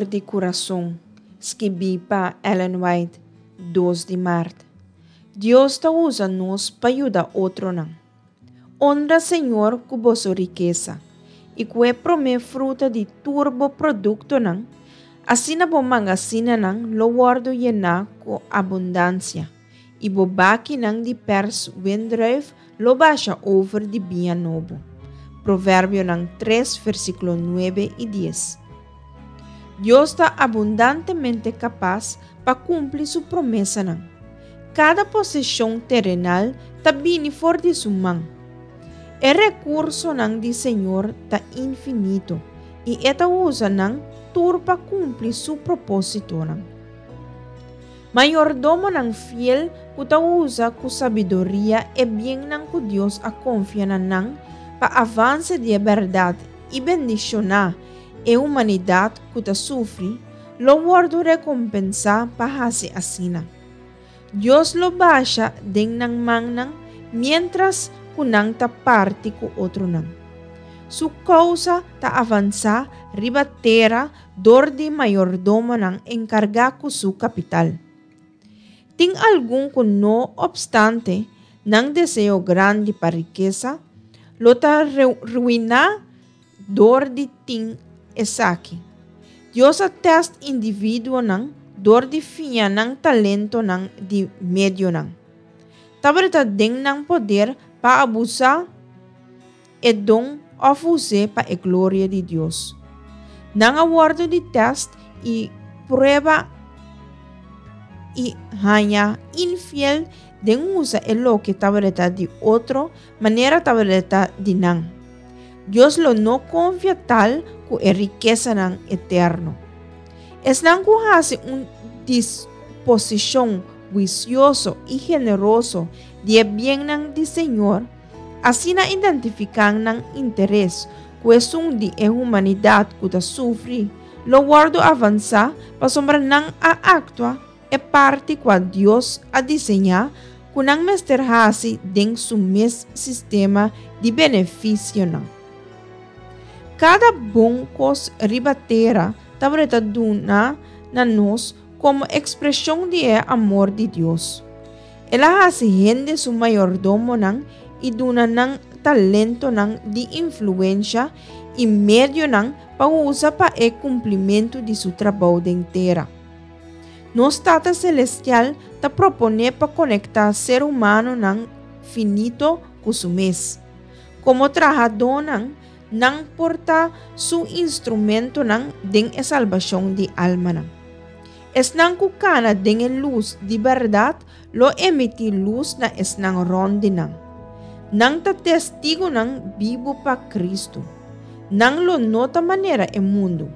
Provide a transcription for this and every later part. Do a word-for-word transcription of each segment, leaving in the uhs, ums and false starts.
For di kurason, skibí pa Ellen White, dos di mart. Dios ta usa nos pa yuda otronan. Honra Señor ku boso rikesa i ku e promé fruta di tur bo produktonan, asina bo mangasinanan lo wòrdu yená ku abundansia, i bo bakinan di pèrs wendrùif lo basha over di biña nobo. Proverbionan tres, versíkulo nuebe i dies. Dios ta abundantemente kapas pa kumpli su promesanan. Kada poseshon terenal ta bini for di su man. E rekursonan di Señor ta infinito i e ta usa nan tur pa kumpli su propósitonan. Mayordomonan fiel ku ta usa ku sabiduria e biennan ku Dios a konfia na nan pa avanse di e bèrdat i bendishoná e humanidat ku ta sufri, lo wòrdu rekompensá pa hasi asina. Dios lo basha den nan mannan miéntras ku nan ta parti ku otronan. Su kousa ta avansá riba tera dor di mayordomonan enkargá ku su kapital. Tin algun ku no opstante nan deseo grandi pa rikesa, lo ta ruiná dor di tin esaki. Dios a tèst individuonan dor di fia nan talentonan di medionan. Tabata den nan poder pa abusá e don òf us'é pa e gloria di Dios. Nan a wòrdu di tèst i prueba i haña infiel den usa e loke tabata di otro manera tabata di nan. Dios lo no konfia tal ku e rikesanan eterno. Esnan ku hasi un disposishon huisioso i generoso di e biennan di Señor, asina identifiká nan interes ku esun di e humanidat ku ta sufri, lo wòrdu avansá pasobra nan a aktua e parti ku Dios a diseñá ku nan mester hasi den su mes sistema di benefisionan. Kada bon kos riba tera tabata duna na nos komo ekspreshon di e amor di Dios. El a hasi hende su mayordomonan i duna nan talentonan di influensia i medionan pa usa pa e kumplimentu di su trabou den tera. Nos Tata Selestial ta proponé pa konektá ser humanonan finito ku su mes. Komo trahadónan, nan por ta su instrumentonan den e salbashon di almanan. Esnan ku kana den e lus di bèrdat lo emití lus na esnan rònt di nan. Nan ta testigunan bibu pa Kristu. Nan lo no ta manera e mundu,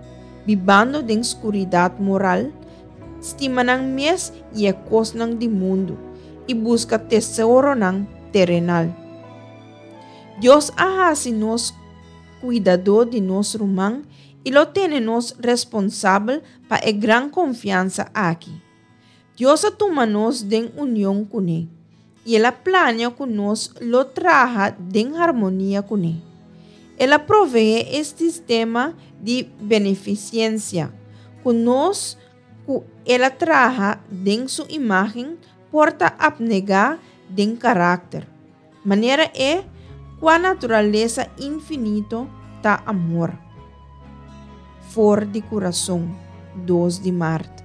bibando den skuridat moral, stima nan mes i e kosnan di mundu, i buska tesoronan terenal. Dios a hasi nos kuidadó di nos ruman i lo tene nos responsabel pa e gran konfiansa aki. Dios a tuma nos den union kuné, i el a plania ku nos lo traha den harmonia kuné. El a proveé e sistema di benefisensia ku nos ku el a traha den su imágen por ta apnegá den karakter. Manera e kua naturalesa infinito ta amor. For di kurason, dos di mart.